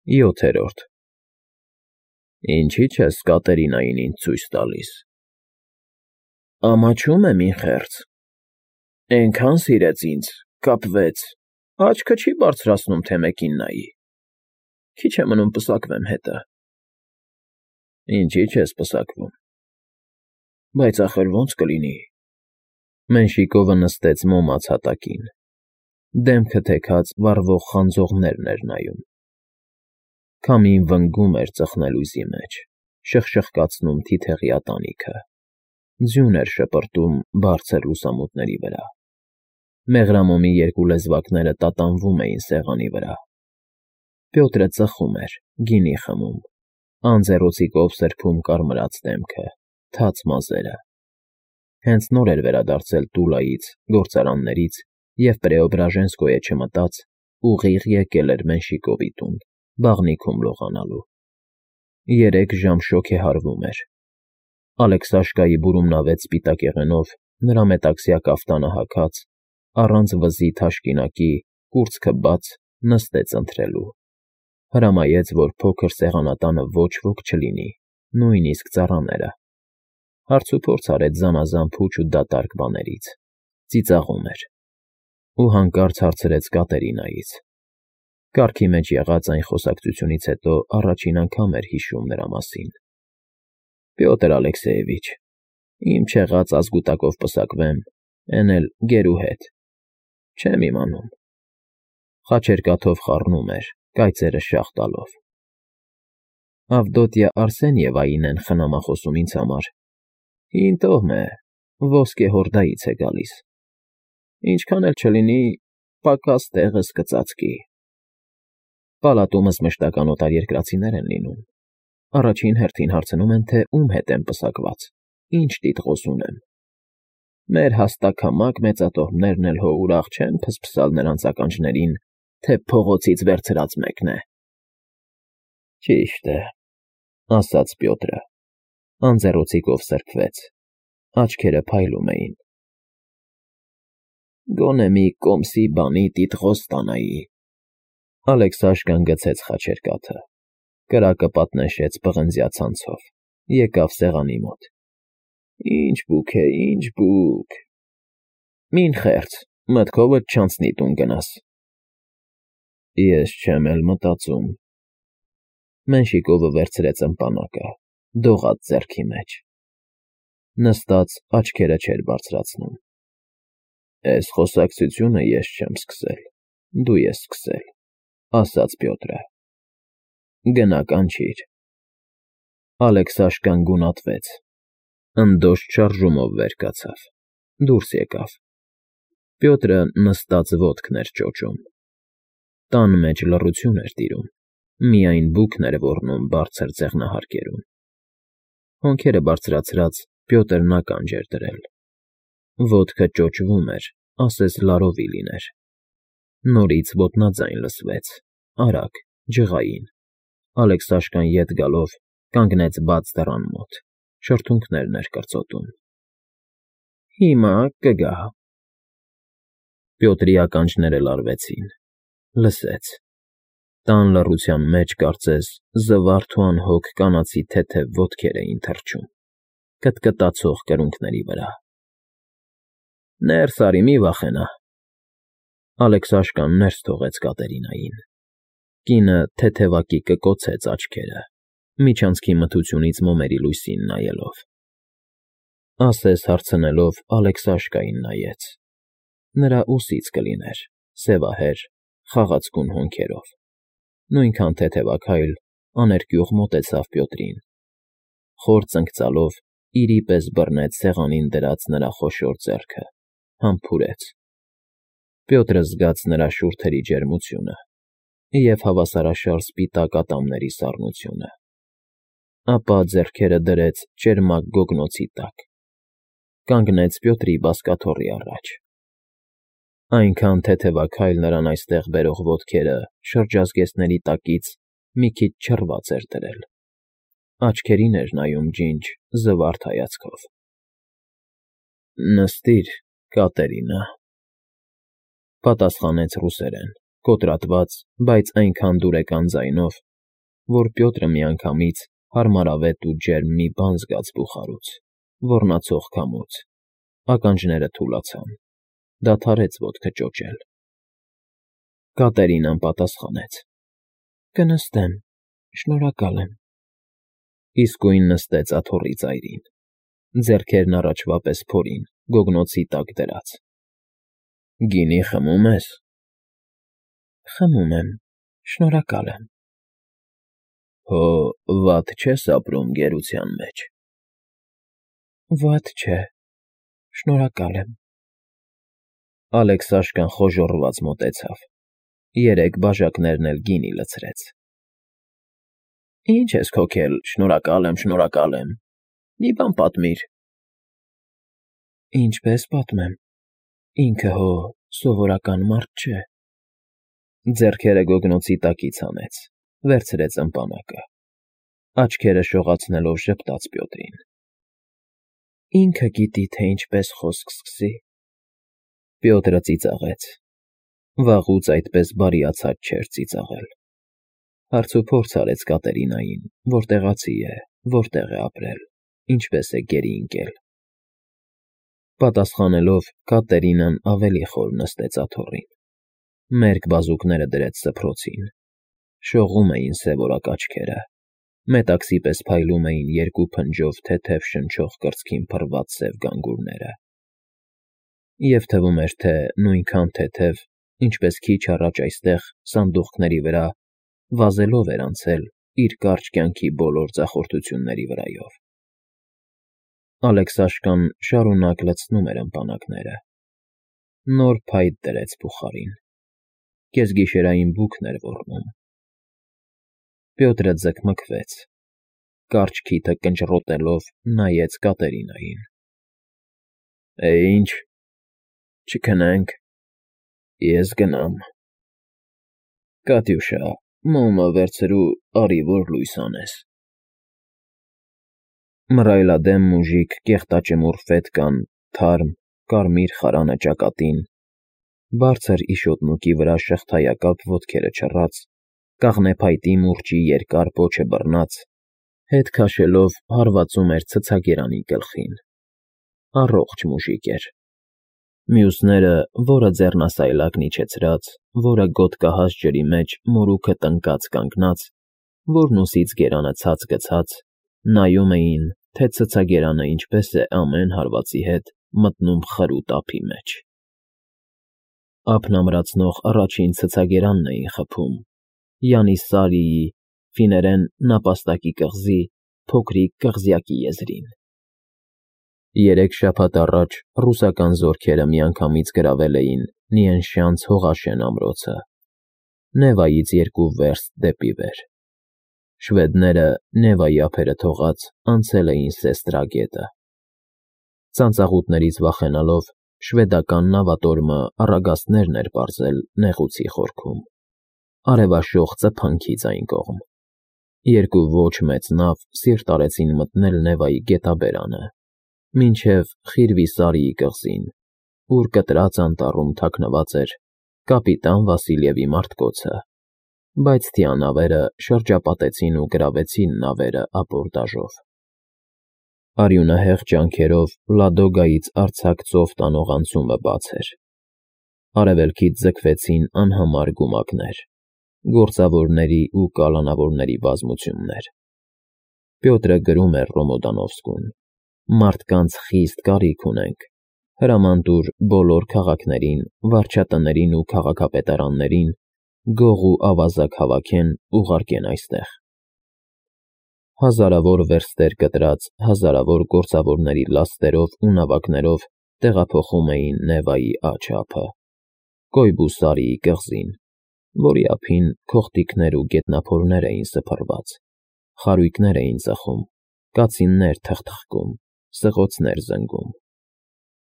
7-րդ Ինչի՞ չես Կատերինային ինձ ցույց տալիս։ Ամաչում եմ, ինխերձ, էնքան սիրեց ինձ, կապվեց, աչքը չի բարձրացնում, թե մեկին նայի, քիչ է մնում պսակվեմ հետը։ Ինչի՞ չես պսակվում։ Բայց ախր ո՞նց կլինի։ Մենշիկովը նստեց մոմած հատակին, դեմքը թեքած վառվող խանձողներն էր նայում։ Քամին վնգում էր ծխնելույզի մեջ, շխշխկացնում թիթեղի ատանիքը, ձյուն էր շպրտում բարձր լուսամուտների վրա։ Մեղրամոմի երկու լեզվակները տատանվում էին սեղանի վրա։ Պյոտրը ծխում էր, գինի խմում, անձեռոցիկով սրբում կարմրած դեմքը, թաց մազերը։ Հենց նոր էր վերադարձել Տուլայից, գործարաններից և Պրեոբրաժենսկոյե չմտած, ուղիղ եկել էր Մենշիկովի տուն, բաղնիքում լողանալու։ 3 ժամ շոգեհարվում էր։ Ալեքսաշկայի բուրումնավետ սպիտակեղենով, նրա մետաքսյա կաֆտանը հագած, առանց վզի թաշկինակի, կուրծքը բաց, նստեց ընթրելու։ Հրամայեց, որ փոքր սեղանատանը ոչ ոք չլինի, նույնիսկ ծառաները։ Հարցուփորձ արեց զանազան փուչ ու դատարկ բաներից, ծիծաղում էր։ Ու հանկարծ հարցրեց Կատերինայից։ Կառքի մեջ եղած այն խոսակցությունից հետո առաջին անգամ էր հիշում նրա մասին։ Պյոտր Ալեքսեևիչ, իմ չեղած ազգուտակով պսակվեմ, էն էլ գերու հետ։ Չեմ իմանում։ Խաչերկաթով խառնում էր, կայծերը շաղ տալով։ Ավդոտյա Արսենիևային են խնամախոսում ինձ համար։ Հին տոհմ է, ոսկե հորդայից է գալիս։ Ինչքան էլ չլինի, պակաս տեղս կծածկի։ Պալատումս մշտական օտարերկրացիներ են լինում։ Առաջին հերթին հարցնում են, թե ում հետ եմ պսակված, ինչ տիտղոս ունեմ։ Մեր հաստաքամակ մեծատոհմներն էլ հո ուրախ չեն փսփսալ նրանց ականջներին, թե փողոցից վերցրած մեկն է։ Ճիշտ է, ասաց Պյոտրը, անձեռոցիկով սրբվեց, աչքերը փայլում էին։ Գոնե մի կոմսի բանի տիտղոս ստանայի։ Ալեքսաշկան գցեց խաչերկաթը, կրակը պատնեշեց պղնձյա ցանցով, եկավ սեղանի մոտ։ Ինչ բուք է, ինչ բուք։ Մին խեղճ, մտքովդ չանցնի տուն գնաս։ Ես չեմ էլ մտածում։ Մենշիկովը վերցրեց ըմպանակը, դողաց ձեռքի մեջ։ Նստած աչքերը չէր բարձրացնում։ Էս խոսակցությունը ես չեմ սկսել, դու ես սկսել, ասաց Պյոտրը։ Գնա կանչիր։ Ալեքսաշկան գունատվեց, ընդոշ շարժումով վեր կացավ, դուրս եկավ։ Պյոտրը նստած ոտքն էր ճոճում։ Տան մեջ լռություն էր տիրում, միայն բուքն էր ոռնում բարձր ձեղնահարկերում։ Հոնքերը բարձրացրած Պյոտրն ականջ էր դրել։ Ոտքը ճոճվում էր, ասես լարովի լիներ։ Նորից ոտնաձայն լսվեց, արագ, ջղային։ Ալեքսաշկան ետ գալով կանգնեց բաց դռան մոտ, շրթունքներն էր կրծոտում։ Հիմա կգա։ Պյոտրի ականջները լարվեցին, լսեց։ Տան լռության մեջ կարծես զվարթ ու անհոգ կանացի թեթև ոտքեր էին թռչում, կտկտացող կրունկների վրա։ Ներս արի, մի վախենա։ Ալեքսաշկան ներս թողեց Կատերինային։ Կինը թեթևակի կկոցեց աչքերը, միջանցքի մթությունից մոմերի լույսին նայելով։ Ասես հարցնելով Ալեքսաշկային նայեց։ Նրա ուսից կլիներ, սևահեր, խաղացկուն հոնքերով։ Նույնքան թեթևակայլ, աներկյուղ մոտեցավ Պյոտրին։ Խոր ծնկծալով իրի պես բռնեց սեղանին դրած նրա խոշոր ձեռքը, համբուրեց։ Պյոտրը զգաց նրա շուրթերի ջերմությունը և հավասարաշար սպիտակ ատամների սառնությունը։ Ապա ձեռքերը դրեց ճերմակ գոգնոցի տակ։ Կանգնեց Պյոտրի բազկաթոռի առաջ։ Այնքան թեթևակայլ նրան այստեղ բերող ոտքերը շրջազգեստների տակից մի քիչ չռված էր դրել։ Աչքերին էր նայում ջինջ, զվարթ հայացքով։ Նստիր, Կատերինա, պատասխանեց ռուսերեն, կոտրատված, բայց այնքան դուրեկան ձայնով, որ Պյոտրը միանգամից հարմարավետ ու ջերմ մի բան զգաց բուխարուց, ոռնացող քամուց, ականջները թուլացան, դադարեց ոտքը ճոճել։ Կատերինան պատասխանեց. «Կնստեմ, շնորհակալ եմ»։ Իսկույն նստեց աթոռի ծայրին, ձեռքերն առաջվա պես փորին, գոգնոցի տակ դրած։ «Գինի խմում ես»։ «Խմում եմ, շնորհակալ եմ»։ «Հո վատ չես ապրում գերության մեջ»։ «Վատ չէ, շնորհակալ եմ»։ Ալեքսաշկան խոժոռված մոտեցավ, երեք բաժակներն էլ գինի լցրեց։ «Ինչ ես քոքել, շնորհակալ եմ, մի բան պատմիր»։ «Ինչպես պատմեմ, ինքը հո սովորական մարդ չէ»։ Ձեռքերը գոգնոցի տակից հանեց, վերցրեց ըմպանակը, աչքերը շողացնելով ժպտաց Պյոտրին։ «Ինքը գիտի, թե ինչպես խոսք սկսի»։ Պյոտրը ծիծաղեց։ Վաղուց այդպես բարիացած չէր ծիծաղել։ Հարցուփորձ արեց Կատերինային, որ տեղացի է, որտեղ է ապրել, ինչպես է գերի ընկել։ Պատասխանելով, Կատերինան ավելի խոր նստեց աթոռին, մերկ բազուկները դրեց սփռոցին, շողում էին սևորակ աչքերը, մետաքսի պես փայլում էին երկու փնջով թեթև շնչող կրծքին փռված սև գանգուրները։ Եվ թվում էր, թե նույնքան թեթև, ինչպես քիչ առաջ այստեղ, սանդուղքների վրա, վազելով էր անցել իր կարճ կյանքի բոլոր ձախորդությունների վրայով։ Ալեքսաշկան շարունակ լցնում էր ըմպանակները։ Նոր փայտ դրեց բուխարին։ Կեսգիշերային բուքն էր ոռնում։ Պյոտրը ձկմկվեց, կարճ քիթը կնճռոտելով նայեց Կատերինային։ Ինչ, չքնենք, ես գնամ։ Կատյուշա, մոմը վերցրու, արի որ լույս անես։ Մռայլադեմ մուժիկ կեղտաճմուռ ֆետկան, թարմ, կարմիր խարանը ճակատին, բարձր իշոտնուկի վրա շղթայակապ ոտքերը չռած, կաղնեփայտի մուրճի երկար պոչը բռնած, հետ քաշելով հարվածում էր ցցագերանի գլխին։ Առողջ մուժիկ էր։ Մյուսները, որը ձեռնասայլակն իջեցրած, որը գոտկահաս ջրի մեջ մորուքը տնկած կանգնած, որն ուսից գերանը ցած գցած, նայում էին, թե ցցագերանը ինչպես է ամեն հարվածի հետ մտնում խրուտ ափի մեջ։ Ափն ամրացնող առաջին ցցագերանն էին խփում, Յանիսարիի, ֆիներեն նապաստակի կղզի, փոքրիկ կղզյակի եզրին։ 3 շաբաթ առաջ ռուսական զորքերը միանգամից գրավել էին Նիենշանց հողաշեն ամրոցը, Նևայից 2 վերստ դեպի վեր։ Շվեդները, Նևայի ափերը թողած, անցել էին Սեստրա գետը։ Ծանծաղուտներից վախենալով, շվեդական նավատորմը առագաստներն էր պարզել նեղուցի խորքում, արևաշող ծփանքից այն կողմ։ 2 ոչ մեծ նավ սիրտ արեցին մտնել Նևայի գետաբերանը, մինչև Խիրվիսարիի կղզին, ուր կտրած անտառում թաքնված էր կապիտան Վասիլևի մարտկոցը, բայց թիանավերը շրջապատեցին ու գրավեցին նավերը ապորդաժով։ Արյունահեղ ջանքերով Լադոգայից արձակ ծով տանող անցումը բաց էր։ Արևելքից ձգվեցին անհամար գումակներ, գործավորների ու կալանավորների բազմություններ։ Պյոտրը գրում էր Ռոմոդանովսկուն. «Մարդկանց խիստ կարիք ունենք, հրամանտուր բոլոր քաղաքներին, վարչատներին ու քաղաքապետարաններին գող ու ավազակ հավաքեն, ուղարկեն այստեղ»։ Հազարավոր վերստեր կտրած, հազարավոր գործավորների լաստերով ու նավակներով տեղափոխում էին Նևայի աջ ափը, Կոյբուսարիի կղզին, որի ափին քոխտիկներ ու գետնափորներ էին սփռված, խարույկներ էին ծխում, կացիններ թխթխկում, սղոցներ զնգում։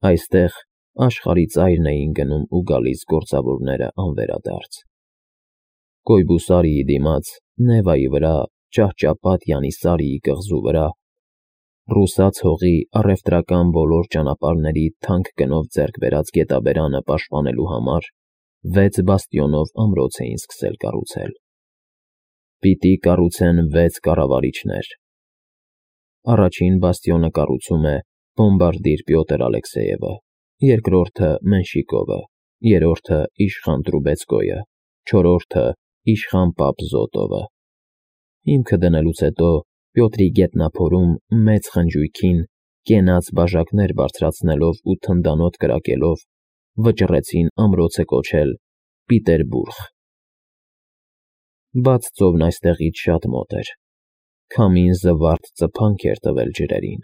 Այստեղ աշխարհի ծայրն էին գնում ու գալիս գործավորները անվերադարձ։ Կոյբուսարիի դիմաց, Նևայի վրա, ճահճապատ Յանիսարիի կղզու վրա, ռուսաց հողի առևտրական բոլոր ճանապարհների թանկ գնով ձեռք բերած գետաբերանը պաշտպանելու համար 6 բաստիոնով ամրոց էին սկսել կառուցել։ Պիտի կառուցեն 6 կառավարիչներ։ Առաջին բաստիոնը կառուցում է բոմբարդիր Պյոտր Ալեքսեևը, երկրորդը Մենշիկովը, երրորդը իշխան Տրուբեցկոյը, չորրորդը իշխան պապ Զոտովը։ Հիմքը դնելուց հետո Պյոտրի գետնափորում մեծ խնջույքին, կենաց բաժակներ բարձրացնելով ու թնդանոթ կրակելով, վճռեցին ամրոցը կոչել Պիտերբուրգ։ Բաց ծովն այստեղից շատ մոտ էր։ Քամին զվարթ ծփանք էր տվել ջրերին։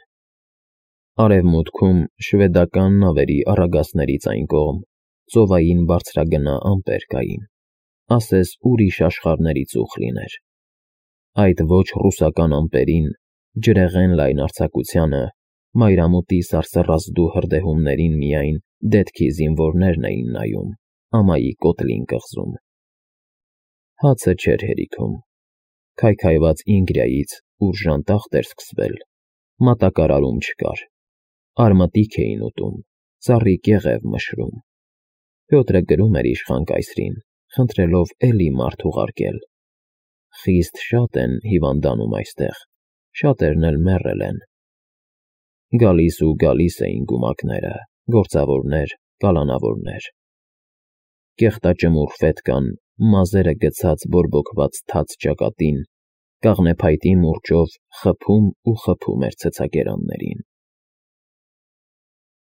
Արևմուտքում շվեդական նավերի առագաստներից այն կողմ ծովային բարձրագնա ամպեր կային, ասես ուրիշ աշխարհների ծուխ լիներ։ Այդ ոչ ռուսական ամպերին, ջրեղեն լայն արձակությանը, մայրամուտի սարսռազդու հրդեհումներին միայն դետքի զինվորներն էին նայում, ամայի կոտլին կղզում։ Հացը չէր հերիքում։ Քայքայված Ինգրիայից ուր ժանտախտ էր սկսվել, մատակարարում չկար։ Արմատիկ էին ուտում, ծառի կեղև մշրում։ Պյոտրը գրում էր իշխան կայսրին, խնդրելով էլի մարդ ուղարկել։ Խիստ շատ են հիվանդանում այստեղ, շատերն էլ մեռել են։ Գալիս ու գալիս էին գումակները, գործավորներ, կալանավորներ։ Կեղտաճմուռ ֆետկան, մազերը գցած բորբոքված թաց ճակատին, կաղնեփայտի մուրճով խփում ու խփում էր ցցակերաններին։